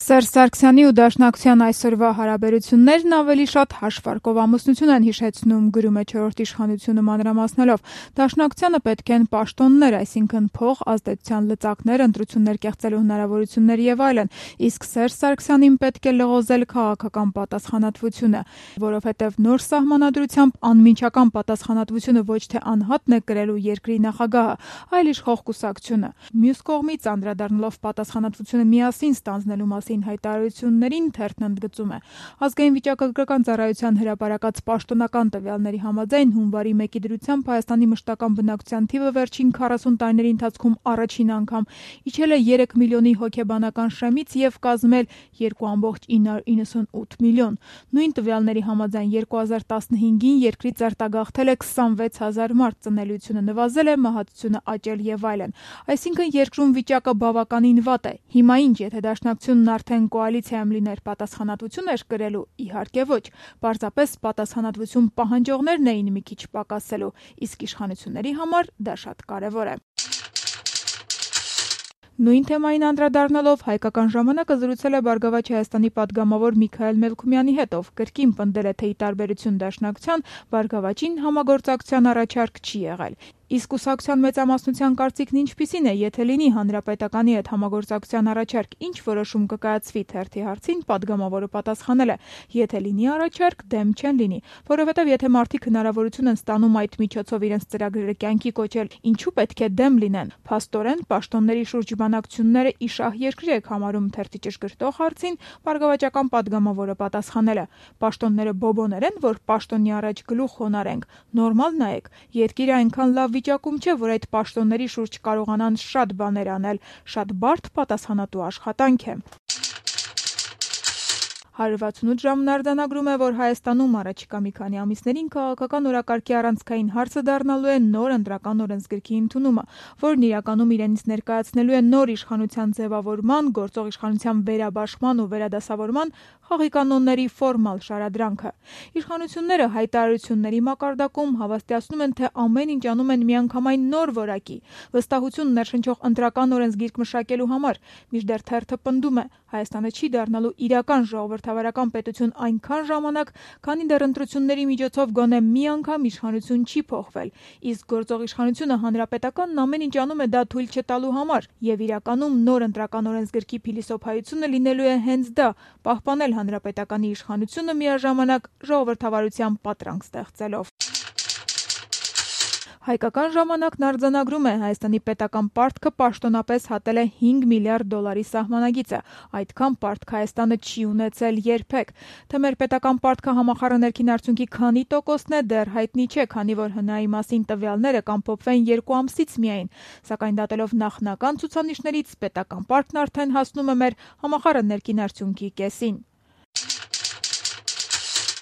Սերժ Սարգսյանի ու Դաշնակցության այսօրվա հարաբերություններն ավելի շատ հաշվարկով ամուսնություն են հիշեցնում, գրում է «Չորրորդ իշխանությունը» մանրամասնելով։ Դաշնակցությանը պետք են պաշտոններ, այսինքն փող, ազդեցության լծակներ, ընտրություններ կեղծելու հնարավորություններ եւ այլն, իսկ Սերժ Սարգսյանին պետք է լղոզել քաղաքական պատասխանատվությունը, որովհետեւ նոր սահմանադրությամբ անմիջական պատասխանատվությունը ոչ թե անհատն է կրելու երկրի նախագահը, այլ իշխող կուսակցությունը։ Մյուս կողմից, անդրադառնալով պատասխանատվությունը միասին ստանձնելու մասին հայտարարություններին, թերթն ընդգծում է. Ազգային վիճակագրական ծառայության հրապարակած պաշտոնական տվյալների համաձայն հունվարի 1-ի դրությամբ Հայաստանի մշտական բնակչության թիվը վերջին 40 տարիների ընթացքում առաջին անգամ իջել է 3 միլիոնի հոգեբանական շեմից եւ կազմել 2,998 միլիոն։ Նույն տվյալների համաձայն 2015-ին երկրից արտագաղթել է 26,000 մարդ, ծնելիությունը նվազել է, մահացությունը աճել եւ այլն։ Այսինքն երկրում վիճակը բավականին վատ է։ Հիմա ինչ, եթե Դաշնակցությունն արդեն կոալիցիայում լիներ, պատասխանատվություն էր կրելու, իհարկե ոչ, պարզապես պատասխանատվություն պահանջողներն էին մի քիչ պակասելու, իսկ իշխանությունների համար դա շատ կարևոր է։ Նույն թեմային անդրադառնալով Հայկական ժամանակը զրուցել է Բարգավաճ Հայաստանի падգամավոր Միքայել Մելքումյանի հետ, ով կրկին պնդել է, թե ի տարբերություն Դաշնակցության, Բարգավաճին համագործակցության առաջարկ չի եղել։ Իսկ կուսակցության մեծամասնության կարծիքն ինչպիսին է, եթե լինի Հանրապետականի հետ համագործակցության առաջարկ, ինչ որոշում կկայացվի, թերթի հարցին падգամավորը պատասխանել է. եթե լինի առաջարկ, դեմ չեն լինի, որովհետև եթե մարդիկ հնարավորություն են ստանում այդ միջոցով իրենց ծրագրերը կյանքի կոչել, ինչու պետք է դեմ լինեն։ Փաստորեն, պաշտոնների շուրջ բանակցությունները իշահ երկրի եք համարում, թերթի ճշգրտող հարցին բարգավաճական падգամավորը պատասխանել է. պաշտոնները բոբոներ են, որ պաշտոնի առաջ գլուխ խոնարհենք, նորմալ նայեք, երկիրը այնքան լավ վիճակում չէ, որ այդ պաշտոնների շուրջ կարողանան շատ բաներ անել, շատ բարդ պատասխանատու աշխատանք է։ 168 ժամն արձանագրում է, որ Հայաստանում առաջիկա մի քանի ամիսներին քաղաքական օրակարգի առանցքային հարցը դառնալու է նոր ընտրական օրենսգրքի ընդունումը, որն իրականում իրենից ներկայացնելու է նոր իշխանության ձևավորման, գործող իշխանության վերաբաշխման ու վերադասավորման խաղի կանոնների ֆորմալ շարադրանքը։ Իշխանությունները հայտարարությունների մակարդակում հավաստիացնում են, թե ամեն ինչ անում են միանգամայն նոր որակի, վստահություն ներշնչող ընտրական օրենսգիրք մշակելու համար, մինչդեռ թերթը պնդում է, Հայաստանը չի դառնալու իրական ժողովրդավարական պետություն այնքան ժամանակ, քանի դեռ ընտրությունների միջոցով գոնե մի անգամ իշխանություն չի փոխվել, իսկ գործող իշխանությունը հանրապետականն ամեն ինչ անում է դա թույլ չտալու համար, եւ իրականում նոր ընտրական օրենսգրքի փիլիսոփայությունը լինելու է հենց դա՝ պահպանել հանրապետականի իշխանությունը միաժամանակ ժողովրդավարության պատրանք ստեղծելով։ Հայկական ժամանակն արձանագրում է, Հայաստանի պետական պարտքը պաշտոնապես հատել է $5 միլիարդ սահմանագիծը, այդքան պարտք Հայաստանը չի ունեցել երբեք։ Թե մեր պետական պարտքը համախառն ներքին արդյունքի քանի տոկոսն է, դեռ հայտնի չէ, քանի որ ՀՆԱ-ի մասին տվյալները կամփոփվեն 2 ամսից միայն, սակայն դատելով նախնական ցուցանիշներից, պետական պարտքն արդեն հասնում է մեր համախառն ներքին արդյունքի կեսին։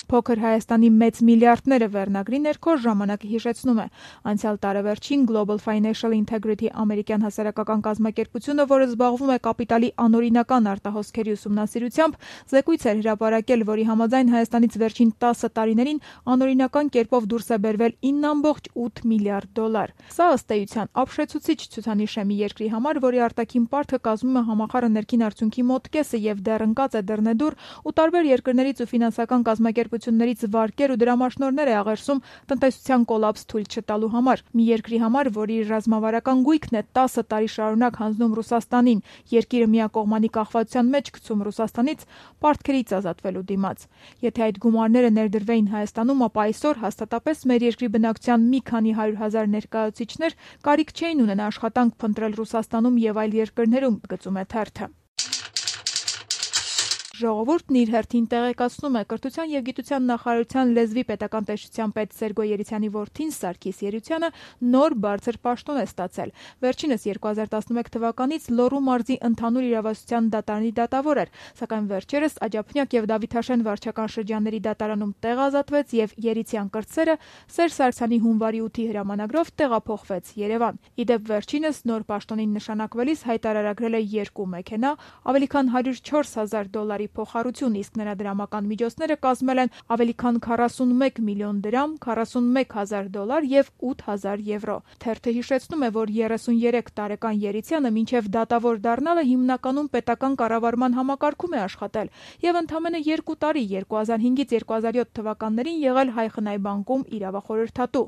Փոքր Հայաստանի մեծ միլիարդները վերնագրի ներքո ժամանակը հիշեցնում է. անցյալ տարեվերջին Global Financial Integrity ամերիկյան հասարակական կազմակերպությունը, որը զբաղվում է կապիտալի անօրինական արտահոսքերի ուսումնասիրությամբ, զեկույց էր հրապարակել, որի համաձայն Հայաստանից վերջին 10 տարիներին անօրինական կերպով դուրս է բերվել $9.8 միլիարդ։ Սա ըստ էության ապշեցուցիչ ցուցանիշ է մի երկրի համար, որի արտաքին պարտքը կազմում է համախառն ներքին արդյունքի մոտ կեսը եւ դեռ ընկած է դռնեդուր ու տարբեր երկրներից ու ֆինանսական կազմակերպություններից վարկեր ու դրամաշնորհներ է աղերսում տնտեսության կոլապս թույլ չտալու համար։ Մի երկրի համար, որի ռազմավարական գույքն է 10 տարի շարունակ հանձնում Ռուսաստանին, երկիրը միակողմանի կախվածության մեջ գցում Ռուսաստանից, պարտքերից ազատվելու դիմաց։ Եթե այդ գումարները ներդրվեին Հայաստանում, ապա այսօր հաստատապես մեր երկրի բնակչության մի քանի 100,000 ներկայացուցիչներ կարիք չէին ունենա աշխատանք փնտրել Ռուսաստանում եւ այլ երկրներում, գծում է թերթը։ Ժողովուրդն իր հերթին տեղեկացնում է, Կրթության և գիտության նախարարության լեզվի պետական տեսչության պետ Սերգո Երիցյանի որդին Սարգիս Երիցյանը նոր բարձր պաշտոն է ստացել։ Վերջինս 2011 թվականից Լոռու մարզի ընդհանուր իրավասության դատարանի դատավոր էր, սակայն վերջերս Աջափնյակ և Դավիթաշեն վարչական շրջանների դատարանում տեղ ազատվեց եւ Երիցյան կրտսերը Սերժ Սարգսյանի հունվարի 8-ի հրամանագրով տեղափոխվեց Երևան։ Ի դեպ վերջինս նոր պաշտոնին նշանակվելիս հայտարարագրել է 2 մեքենա, ավելի քան $104,000 փոխառություն, իսկ նրա դրամական միջոցները կազմել են ավելի քան 41 միլիոն դրամ, 41,000 $, և 8,000 եվրո։ Թերթը հիշեցնում է, որ 33 տարեկան Երիցյանը մինչև դատավոր դառնալը հիմնականում պետական կառավարման համակարգում է աշխատել և ընդամենը 2 տարի 2005-ից 2007 թվականներին եղել Հայ խնայբանկում իրավախորհրդատու։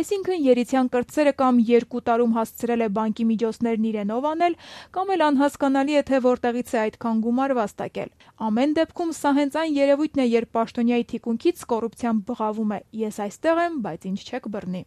Այսինքն Երիցյան կրտսերը կամ 2 տարում հասցրել է բանկի միջոցներն իրենով անել, կամ էլ անհասկանալի է, թե որտեղից է այդքան գումար վաստակել։ Ամեն դեպքում սա հենց այն երևույթն է, երբ պաշտոնյայի թիկունքից կոռուպցիան բղավում է՝ ես այստեղ եմ, բայց ինձ չեք բռնի։